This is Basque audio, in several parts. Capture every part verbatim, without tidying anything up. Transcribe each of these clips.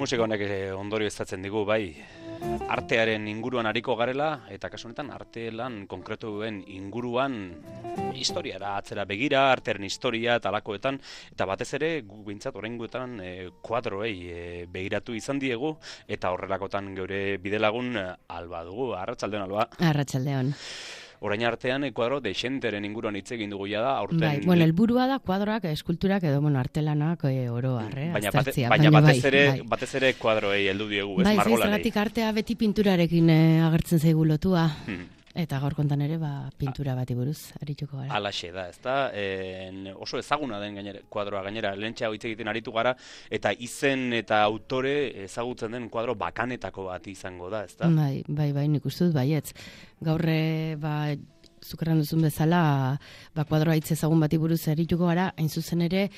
musika honek ondorio izatzen digu, bai, artearen inguruan ariko garela, eta kasu honetan arte lan konkretuen inguruan historiara atzera begira, artearen historia eta alakoetan, eta batez ere, gu bintzat oraingoetan e, kuadroei e, begiratu izan diegu, eta horrelakotan geure bidelagun Alba dugu. Arratsaldeon, Alba. Arratsaldeon. Orain artean, kuadro dexenteren inguruan hitz egin dugu ja da, aurten... Bai, bueno, helburua da kuadroak, eskulturak edo, bueno, artelanak e, oro harre, baina, bate, baina, baina batez ere, bai. batez ere kuadroei heldu diegu, ez bai, margolanei. Bai, zergatik artea beti pinturarekin e, agertzen zaigu lotua. Hmm. Eta gaur kontan ere, ba, pintura bati buruz, arituko gara. Alaxe da, ez da, en, oso ezaguna den gainera, kuadroa gainera, lehentxea hitz egiten aritu gara, eta izen eta autore ezagutzen den kuadro bakanetako bat izango da, ez da? Bai, bai, bai, nik uste dut baietz. Gaurre, ba, zukerran duzun bezala, ba, kuadroa hitz ezagun bati buruz arituko gara, hain zuzen ere,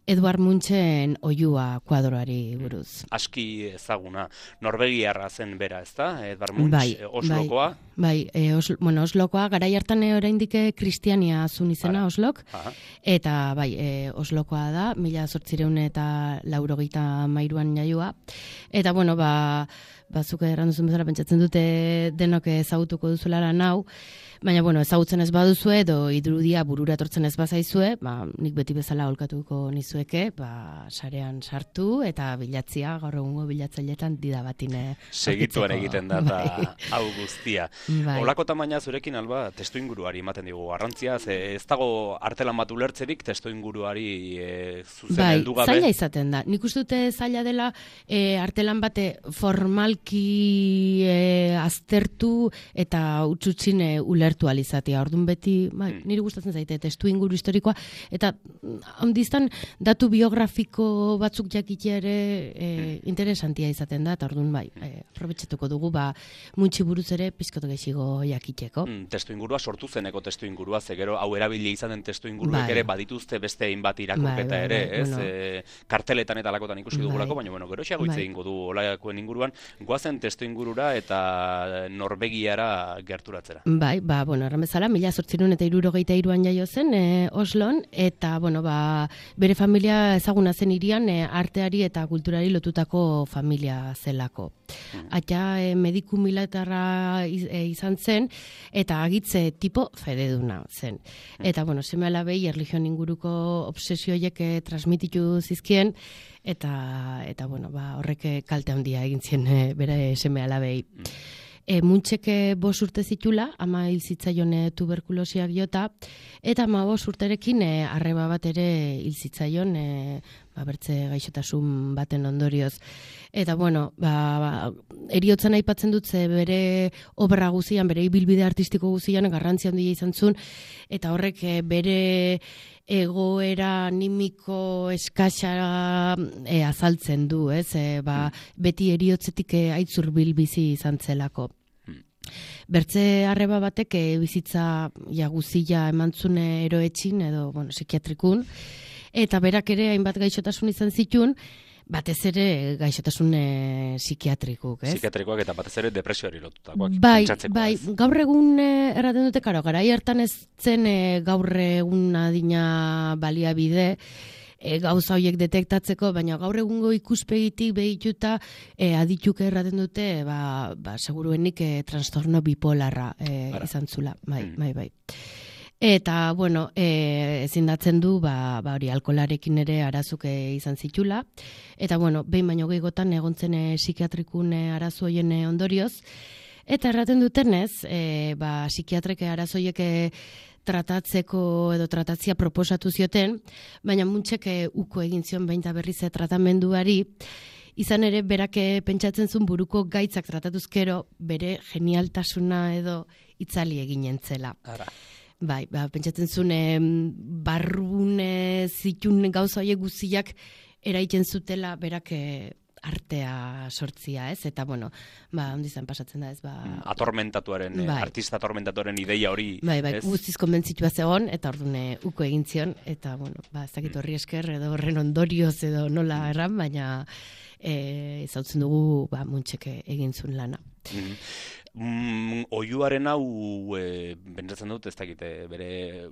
Eduard Munchen oihua kuadroari buruz. Aski ezaguna, norvegiarra zen bera, ezta? Eduard Munch, bai, Oslokoa? Bai, bai e, Oslo, bueno, Oslokoa, garai hartan oraindik kristiania zun izena Ara. Oslok, Aha. eta bai, e, Oslokoa da, mila zortzireun eta laurogeita mairuan jaioa, eta bueno, ba, bazuk erranduzun bezala pentsatzen dute denok ezagutuko duzuela nau, baina, bueno, ezagutzen ez baduzue, edo irudia burura etortzen ez bazaizue, ba, nik beti bezala holkatuko nizueke, ba, sarean sartu, eta bilatzia, gaur egungo bilatzailetan dida batine. Segituan egiten da, eta bai. hau guztia. Bai. Olako tamaina zurekin, Alba, testu inguruari ematen digu garrantzia, ze ez dago artelan bat ulertzerik testu inguruari e, zuzen bai, heldu gabe. Bai, zaila izaten da. Nik uste dute zaila dela e, artelan bate formalki e, aztertu eta utxutxin e, ulertu alizatea. Orduan beti, bai, niri gustatzen zaite testu inguru historikoa, eta handiztan datu biografiko batzuk jakitea ere e, interesantia izaten da, eta orduan bai, e, aprobetxatuko dugu, ba, Muntxi buruz ere pizkotu gehiago jakiteko. Mm, testu ingurua sortu zeneko testu ingurua, ze gero hau erabili izan den testu inguruek bai. ere badituzte beste hainbat irakurketa bai, bai, ere, bai, ez? Bueno. E, karteletan eta alakotan ikusi bai. dugulako, baina bueno, gero xago hitz bai. egingo du olakoen inguruan, goazen testu ingurura eta Norvegiara gerturatzera. Bai, ba, bueno, erran bezala, mila zortzireun eta hirurogeita hiruan jaio zen e, Oslon, eta, bueno, ba, bere familia ezaguna zen hirian e, arteari eta kulturari lotutako familia zelako. Mm. Aita e, mediku militarra iz, e, izan zen, eta agitze tipo fededuna zen. Mm. Eta, bueno, seme alabei erligion inguruko obsesioiek e, transmititu zizkien, eta, eta bueno, ba, horrek kalte handia egin zien e, bere seme alabei. Mm. E, Muntxeke bos urte zitula, ama hil zitzaion e, tuberkulosiak jota, eta ama bos urterekin e, arreba bat ere hil zitzaion, e, ba, bertze gaixotasun baten ondorioz. Eta, bueno, ba, ba, eriotzen aipatzen dut ze bere obra guzian, bere ibilbide artistiko guzian, garrantzi handia izan zuen, eta horrek e, bere egoera animiko eskasa e, azaltzen du, ez? E, ba, beti eriotzetik e, aitzur bilbizi izan zelako. Bertze arreba batek e, bizitza ja, guzia emantzune eroetxin edo bueno, psikiatrikun, eta berak ere hainbat gaixotasun izan zituen, batez ere gaixotasun e, psikiatrikuk, ez? Psikiatrikoak eta batez ere depresioari lotutakoak. Bai, bai, gaur egun e, erraten dute, karo, garai hartan ez zen e, gaur egun adina baliabide, e, gauza horiek detektatzeko, baina gaur egungo ikuspegitik behituta e, adituk erraten dute, ba, ba seguruenik e, trastorno bipolarra e, izan zula, bai, bai, bai. Eta, bueno, e, ezindatzen du, ba, ba hori, alkolarekin ere arazuke izan zitula. Eta, bueno, behin baino gehiagotan egontzen e, psikiatrikun e, arazoien e, ondorioz. Eta erraten dutenez, e, ba, psikiatreke arazoiek e, tratatzeko edo tratatzia proposatu zioten, baina Muntxek e, uko egin zion behin eta berriz e, tratamenduari, izan ere berak e, pentsatzen zuen buruko gaitzak tratatuzkero bere genialtasuna edo itzali eginen zela. Ara. Bai, ba, pentsatzen zuen barrune zitun gauza horiek guztiak eraiten zutela berak e, artea sortzia, ez? Eta, bueno, ba, ondizan pasatzen da, ez? Ba, atormentatuaren, bai. Artista atormentatuaren ideia hori, bai, bai, ez? Guztiz konbentzitua zegoen, eta ordune uko egin zion, eta, bueno, ba, ez dakit horri esker, edo horren ondorioz edo nola erran, baina e, ezautzen dugu, ba, Muntxeke egin zuen lana. Mm. Mm, oihuaren hau e, pentsatzen dut, ez dakite, bere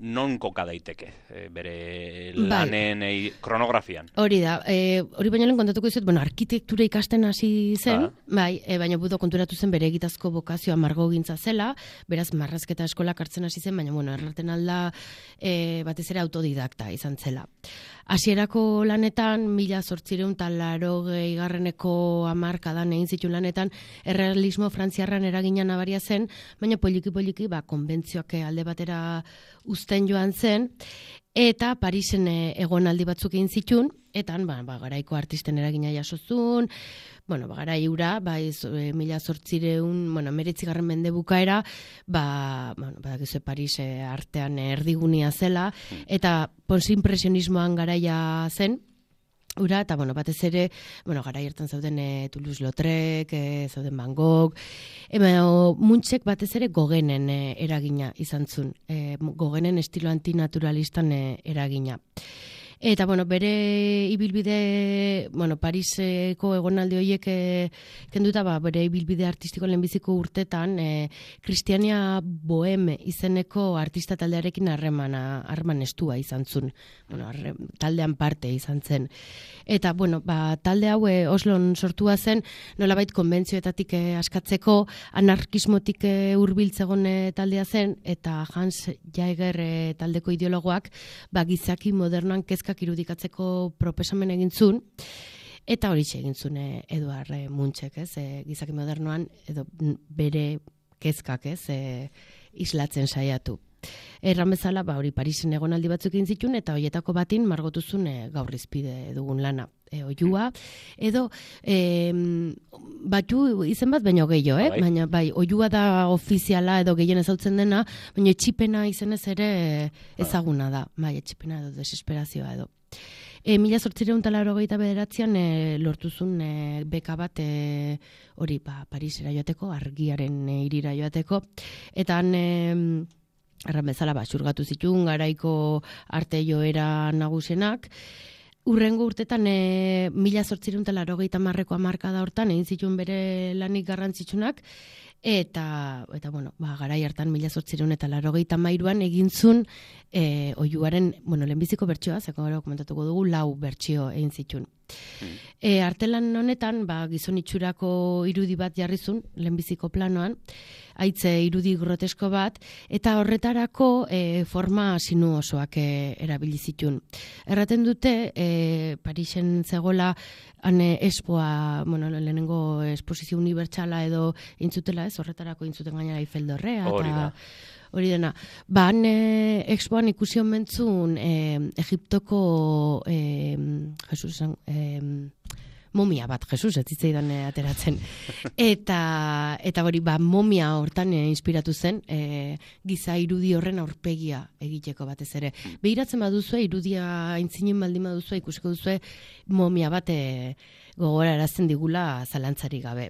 non koka daiteke, e, bere lanen e, kronografian. Hori da, e, hori baino lehen kontatuko dizut, bueno, arkitektura ikasten hasi zen, ah. bai, e, baina budo konturatu zen bere egitazko bokazioa margogintza zela, beraz marrazketa eskolak hartzen hasi zen, baina bueno, erraten alda e, batez ere autodidakta izan zela. Hasierako lanetan, mila zortzireun talarogei garreneko hamarkadan egin zituen lanetan, errealismo frantziarran eragina nabaria zen, baina poliki-poliki ba, konbentzioak alde batera uzten joan zen, eta Parisen egonaldi batzuk egin zituen, eta ba, ba, garaiko artisten eragina jasozun, bueno, ba, garai ura, ba, iz, e, mila zortzireun, bueno, meretzigarren mende bukaera, ba, bueno, badakizu Paris e, artean erdigunia zela, eta post-impresionismoan garaia zen, ura, eta, bueno, batez ere, bueno, garai hartan zauden e, Toulouse-Lautrec, e, zauden Van Gogh, e, Munchek batez ere Gogenen e, eragina izan zuen, e, Gogenen estilo antinaturalistan e, eragina. Eta, bueno, bere ibilbide, bueno, Pariseko egonaldi horiek e, kenduta, ba, bere ibilbide artistiko lehenbiziko urtetan, e, Kristiania Boheme izeneko artista taldearekin harremana, harreman estua izan zuen. Bueno, arre, taldean parte izan zen. Eta, bueno, ba, talde hau e, Oslon sortua zen, nolabait konbentzioetatik e, askatzeko, anarkismotik e, hurbiltzegon e, taldea zen, eta Hans Jaeger e, taldeko ideologoak, ba, gizaki modernoan kezka irudikatzeko proposamen egin zuen, eta hori egin zuen e, Eduard e, Munchek, ez, e, gizaki modernoan, edo bere kezkak, ez, e, islatzen saiatu. Erran bezala, ba, hori Parisen egonaldi batzuk egin zituen, eta horietako batin margotuzun e, gaur izpide dugun lana. E, oiua, edo e, batu izen bat baino gehiago, eh? Baina bai, oiua da ofiziala edo gehien ezautzen dena, baina etxipena izenez ere ezaguna da, bai, etxipena edo desesperazioa edo. E, mila zortzireun talarrogeita bederatzean e, lortuzun e, beka bat e, hori ba, Parisera joateko, argiaren e, irira joateko, eta han... E, erran bezala, ba, xurgatu zituen garaiko arte joera nagusenak. Urrengo urtetan e, mila zortzireun talarrogeita marreko hamarkada hortan egin zituen bere lanik garrantzitsunak, eta, eta bueno, ba, garai hartan mila zortzireun eta larrogeita mairuan egin zuen e, oihuaren, bueno, lehenbiziko bertsioa, zeko gara komentatuko dugu, lau bertsio egin zituen. E, artelan honetan, ba, gizon itxurako irudi bat jarrizun, lehenbiziko planoan, haitze irudi grotesko bat, eta horretarako e, forma sinu osoak e, erabili zituen. Erraten dute, e, Parisen zegoela, hane espoa, bueno, lehenengo esposizio unibertsala edo intzutela, ez, horretarako intzuten gainera Eiffel Dorrea, eta hori dena. Ba, han e, expoan ikusi omentzun e, Egiptoko e, Jesus, e, momia bat, Jesus, ez zitzaidan e, ateratzen. Eta, eta hori, ba, momia hortan e, inspiratu zen, e, giza irudi horren aurpegia egiteko batez ere. Behiratzen baduzue, irudia aintzinen baldin baduzue, ikusiko duzue, momia bat e, gogorarazten digula zalantzari gabe.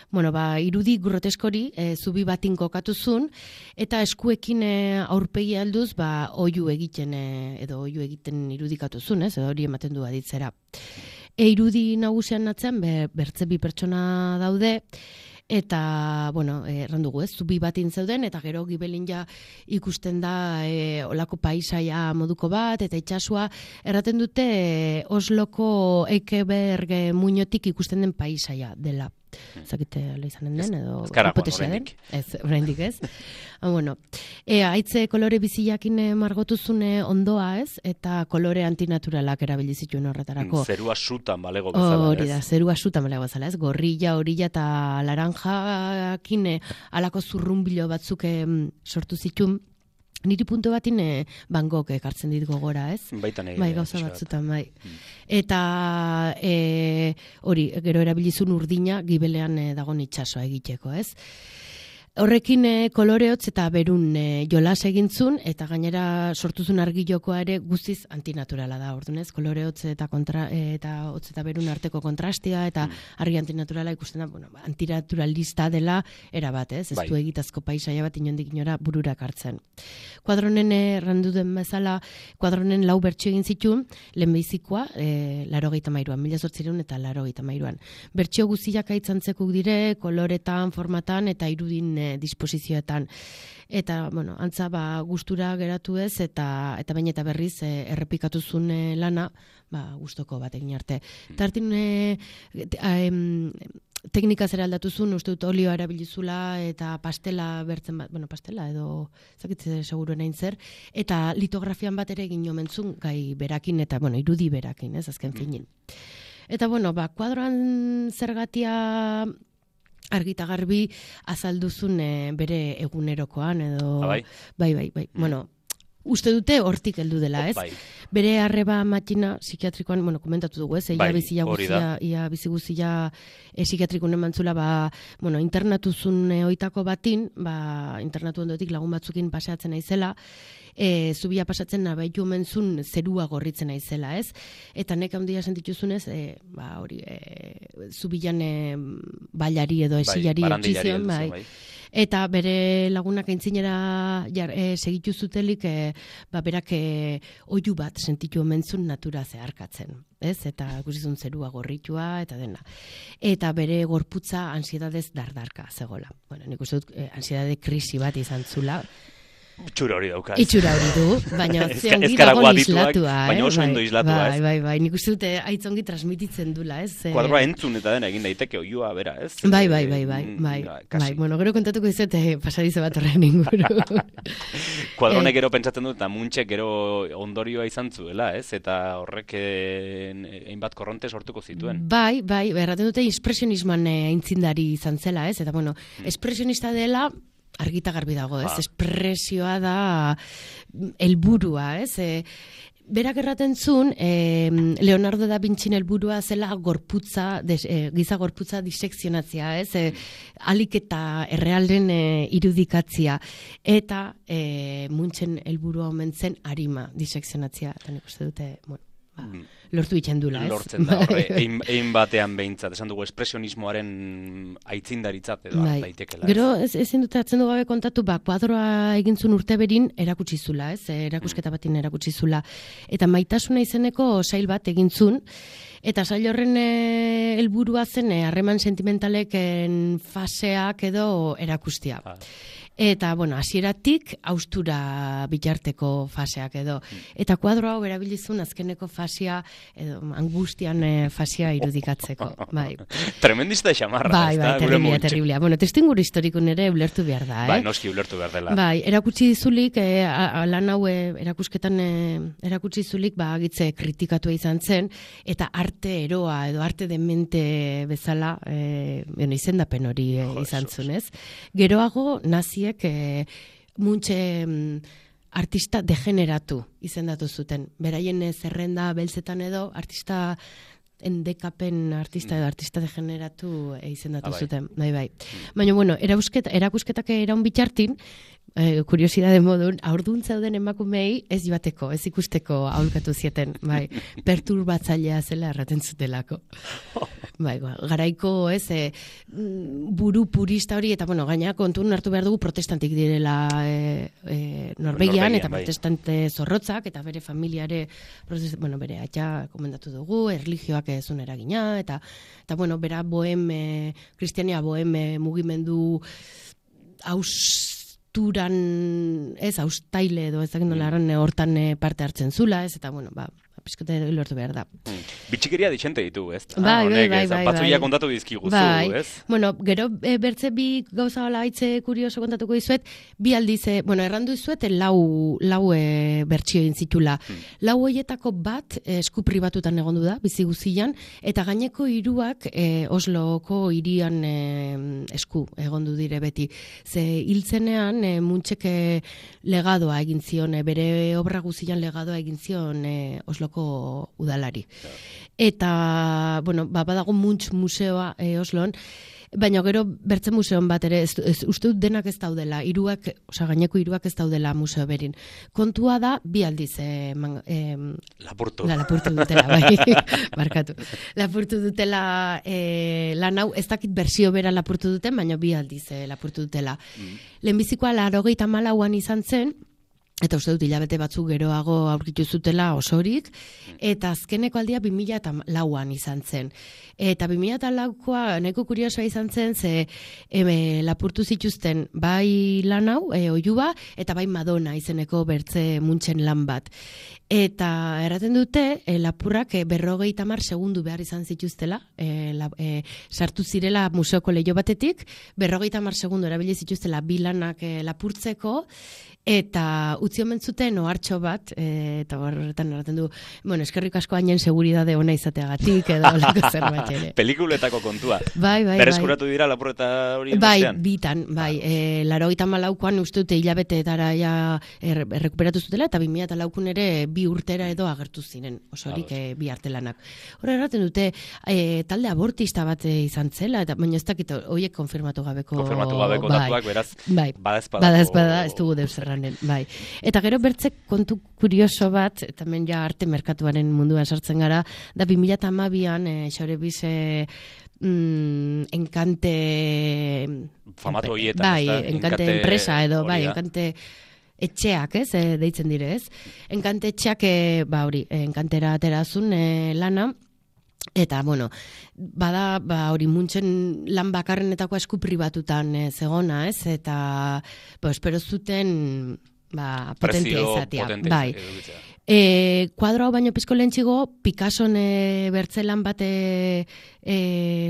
Bueno, ba, irudi groteskori e, zubi batin kokatu zuen, eta eskuekin e, aurpegi alduz, ba, oihu egiten, e, edo oihu egiten irudikatu zuen, ez, edo hori ematen du aditzera. E, irudi nagusian atzean, be, bertze bi pertsona daude, eta, bueno, errandugu ez, zubi batin zeuden, eta gero gibelin ja ikusten da e, olako paisaia moduko bat, eta itxasua, erraten dute e, Osloko Ekeberg muinotik ikusten den paisaia dela. Zakite ala izanen den, edo hipotezia den? Ez, oraindik ez. Ah, bueno, e, haitze kolore biziakin margotuzune ondoa ez, eta kolore antinaturalak erabili zituen horretarako. Zerua sutan balego bezala, ez? Hori da, zerua sutan balego bezala, ez? Gorrilla, orilla eta laranjakin alako zurrunbilo batzuk sortu zituen. Niri puntu batin e, Van Gogh ekartzen dit gogora, ez? Baita nahi. Bai, gauza batzutan, bai. Mm. Eta e, hori, gero erabilizun urdina gibelean e, dagoen itsasoa egiteko, ez? Horrekin e, koloreotz eta berun e, jolas egintzun, eta gainera sortuzun argilokoa ere guztiz antinaturala da, ordunez, koloreotz eta, kontra, e, eta hotz eta berun arteko kontrastia, eta argi antinaturala ikusten da, bueno, antinaturalista dela erabat, ez? Ez Bai. du egitazko paisaia bat inondik inora bururak hartzen. Kuadronen errandu den bezala, kuadronen lau bertsio egin zituen, lehenbizikoa, e, laro gehieta mairuan, mila zortzireun eta laro gehieta mairuan. Bertsio guztiak aitzantzekuk dire, koloretan, formatan, eta irudin e, disposizioetan. Eta, bueno, antza ba, gustura geratu ez, eta eta baina eta berriz e, errepikatuzun e, lana, ba, gustoko bat egin arte. Tartin, e, e, teknika zera aldatuzun, uste dut olioa erabilizula eta pastela bertzen bat, bueno, pastela edo zakitze seguruen hain zer, eta litografian bat ere egin omentzun gai berakin, eta, bueno, irudi berakin, ez, azken finin. Eta, bueno, ba, kuadroan zergatia argita garbi azalduzun e, bere egunerokoan, edo... Ah, bai? Bai, bai, bai. Mm. Bueno, uste dute hortik heldu dela, ez? Bai. Bere arreba matxina psikiatrikoan, bueno, komentatu dugu, ez? Ia Bai, bizia hori guzia, da. ia bizi guzia e, psikiatrikun emantzula, ba, bueno, internatuzun e, oitako batin, ba, internatu ondotik lagun batzukin paseatzen naizela, e, zubia pasatzen nabaitu omentzun zerua gorritzen naizela, ez? Eta nek handia sentituzunez, e, ba, hori, e, zubilan e, bailari edo esilari Bai, etxizion, bai. bai. Eta bere lagunak aintzinera jar, e, segitu zutelik, e, ba, berak e, oihu bat sentitu omentzun natura zeharkatzen, ez? Eta ikusizun zerua gorritua eta dena. Eta bere gorputza ansiedadez dardarka zegola. Bueno, nik uste dut e, ansiedade krisi bat izan zula. Itxura hori daukaz. Itxura hori du, baina Ezka- zeongi ezkara dago guadituak, islatua, eh? baina oso ondo islatua, bai, ez? bai, bai, nik uste dute aitzongi transmititzen dula, ez? Eh, Kuadroa entzun eta dena egin daiteke oiua bera, ez? Bai, bai, bai, bai, Mm, bai, ja, bai, kasi. bueno, gero kontatuko izet eh, pasadizo bat horren inguru. Kuadronek Eh, gero pentsatzen dut, eta muntxek gero ondorioa izan zuela, ez? Eta horrek eh, hainbat korronte sortuko zituen. Bai, bai, erraten dute espresionisman eh, aintzindari izan zela, ez? Eta bueno, espresionista dela argita garbi dago, ez? Ah. Espresioa da helburua, ez? E, berak erraten zuen, e, Leonardo da Vinci helburua zela gorputza, des, e, giza gorputza disekzionatzea, ez? E, alik eta errealen e, irudikatzia. Eta e, Munchen helburua omen zen arima disekzionatzea. Eta nik uste dute, bueno, ba, lortu itxen dula, ez? Lortzen da, horre, ein, ein batean behintzat, esan dugu espresionismoaren aitzindaritzat edo Bai. daitekela. ez? Gero, ez, ezin dut atzen du gabe kontatu, ba, kuadroa egintzun urte berin erakutsi zula, ez? Erakusketa batin erakutsi zula. Eta maitasuna izeneko sail bat egintzun, eta sail horren eh, helburua zen eh, harreman sentimentaleken faseak edo erakustia. Ah. Eta, bueno, hasieratik haustura bitarteko faseak edo. Eta kuadro hau erabilizun azkeneko fasea, edo angustian eh, fasea irudikatzeko. Bai, Tremendista xamarra, bai, ez bai, da, gure terriblia, Munchek. terriblia. Bueno, testu inguru historikun ere ulertu behar da, eh? Bai, noski ulertu behar dela. Bai, erakutsi dizulik, eh, a- a- lan hau eh, erakusketan eh, erakutsi dizulik, ba, agitze kritikatua izan zen, eta arte eroa edo arte demente bezala, eh, bueno, izendapen hori eh, Jo, izan Jesus. zuen, ez? Geroago, naziek eh, Muntxe mm, artista degeneratu izendatu zuten. Beraien eh, zerrenda beltzetan edo, artista endekapen artista edo artista degeneratu eh, izendatu Ah, bai. zuten. Bai, bai. Baina, bueno, erakusketa, erakusketak eraun bitartin, eh, kuriosidade modun, aurdun zeuden emakumei ez joateko, ez ikusteko aholkatu zieten, bai, perturbatzailea zela erraten zutelako. Bai, ba, garaiko, ez, e, buru purista hori, eta, bueno, gaina kontun hartu behar dugu protestantik direla e, e, Norvegian, Norvegian, eta bai. protestante zorrotzak, eta bere familiare, protest, bueno, bere atxa komendatu dugu, erlijioak ezun eragina, eta, eta bueno, bera bohem, e, kristiania bohem e, mugimendu austuran, ez, austaile edo ez dakit nola erran, e, hortan e, parte hartzen zula, ez, eta, bueno, ba, pizkote lortu behar da. Mm. Bitxikeria dixente ditu, ez? Bai, bai, honek, bai, ez? bai, Batzuia bai. kontatu dizkiguzu, Bai. ez? Bueno, gero e, bertze bi gauza bala haitze kurioso kontatuko dizuet, bi aldiz, e, bueno, errandu dizuet e, lau, lau e, bertsio egin zitula. Hmm. Lau hoietako bat e, esku pribatutan egondu da, bizi guzian, eta gaineko hiruak e, Osloko hirian e, esku egondu dire beti. Ze hiltzenean e, Muntxek e, legadoa egin zion, e, bere obra guzian legadoa egin zion e, Osloko udalari. Eta, bueno, ba, badago Munch museoa e, Oslon, Baina gero bertze museon bat ere, ez, ez, uste dut denak ez daudela, hiruak, osea gaineko hiruak ez daudela museo berin. Kontua da, bi aldiz, eh, man, eh, lapurtu. La, lapurtu dutela, bai, barkatu. Lapurtu dutela eh, lan hau, ez dakit bersio bera lapurtu duten, baina bi aldiz eh, lapurtu dutela. Mm. Lehenbizikoa laurogeita hamalauan izan zen, eta uste dut hilabete batzuk geroago aurkitu zutela osorik, eta azkeneko aldia bi mila lauan izan zen. Eta bi mila laukoa nahiko kuriosoa izan zen, ze e, lapurtu zituzten bai lan hau, e, oiua, eta bai Madonna izeneko bertze muntxen lan bat. Eta erraten dute, e, lapurrak e, berrogeita hamar segundu behar izan zituztela, e, la, e, sartu zirela museoko leio batetik, berrogeita hamar segundu erabili zituztela bi lanak e, lapurtzeko, eta utzi omen zuten ohartxo bat, e, eta horretan erraten du, bueno, eskerrik asko hainen seguridade ona izateagatik, edo olako zerbait ere. Pelikuletako kontua. Bai, bai, Berreskuratu bai. dira lapurreta hori Bai, bestean? bitan, bai. E, laurogeita hamalaukoan uste dute hilabeteetara ja er, errekuperatu zutela, eta bi mila laukun ere bi urtera edo agertu ziren, osorik e, bi artelanak. Hor erraten dute, e, talde abortista bat izan zela, eta baina ez dakit horiek konfirmatu gabeko... Konfirmatu gabeko bai, datuak, beraz, bai, badazpadako... Badazpada, ez dugu deus erranen, bai. Eta gero bertzek kontu kurioso bat, eta hemen ja arte merkatuaren munduan sartzen gara, da bi mila hamabian, e, xore bize... Mm, enkante... Famatu horietan, bai, ez da? enkante, Enkante enpresa edo, bai, hori da. enkante etxeak, ez, e, deitzen dire, ez? Enkante etxeak, e, ba hori, enkantera aterazun e, lana, eta, bueno, bada, ba, hori muntzen lan bakarrenetako esku pribatutan e, zegona, ez? Eta, ba, espero zuten, ba, potentia izatea. Bai. E, kuadro hau baino pizko lehentxigo, Picasson e, bertzelan bat e, e,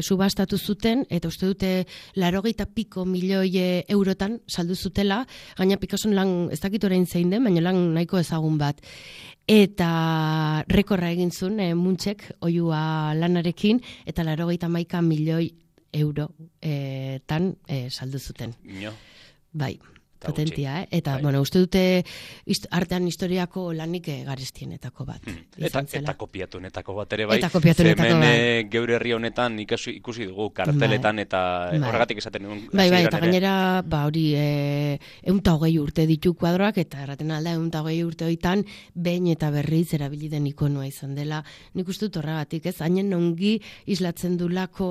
subastatu zuten, eta uste dute laurogeita piko milioi e, eurotan saldu zutela, gaina Picasson lan, ez dakit orain zein den, baina lan nahiko ezagun bat. Eta rekorra egin zuen, e, muntzek, oiua lanarekin, eta laurogeita hamaika milioi euro e, tan e, saldu zuten. Ino. Bai. Potentia, eh? Eta, bai. bueno, uste dute ist, artean historiako lanik garestienetako bat. Hmm. Eta, eta kopiatunetako bat ere bai. Eta kopiatunetako Zemen, bai. Geure herri honetan ikusi, ikusi dugu karteletan, bai. Eta bai. Horregatik esaten dugu. Bai, bai, eta gainera, ba, hori, e, eunta hogei urte ditu kuadroak, eta erraten alda, eunta hogei urte hoitan, behin eta berriz erabili den ikonua izan dela. Nik uste dut horregatik, ez? Hainen ongi islatzen dulako,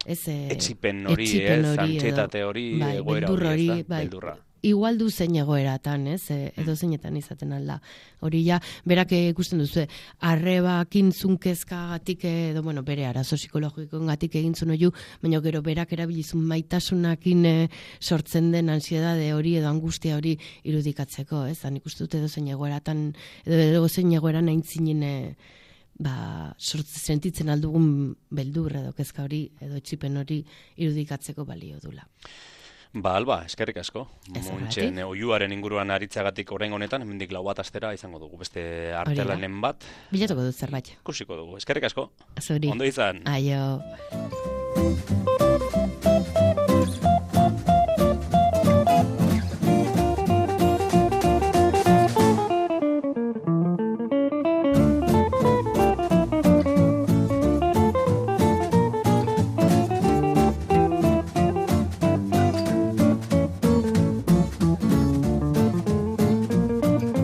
ez? E, etxipen hori, ez? Antxetate hori, bai, egoera hori, hori, ez da? Bai, beldurra. Igual du zein egoeratan, ez? Edo zeinetan izaten alda. Hori ja, berak ikusten duzu, arrebakin zunkezkagatik, edo, bueno, bere arazo psikologikoengatik egin zuen oiu, baina gero berak erabilizun maitasunakin e, sortzen den ansiedade hori edo angustia hori irudikatzeko, ez? Han ikusten dut edo zein egoeratan, edo, edo zein egoeran aintzinen e, ba, sortzen sentitzen aldugun beldur edo kezka hori, edo etxipen hori irudikatzeko balio dula. Ba, Alba, eskerrik asko. Muntxen oiuaren inguruan aritzagatik orain honetan, hemendik lau bat astera izango dugu beste artelanen bat. Bilatuko dut zerbait. Ikusiko dugu. Eskerrik asko. Zuri. Ondo izan. Aio.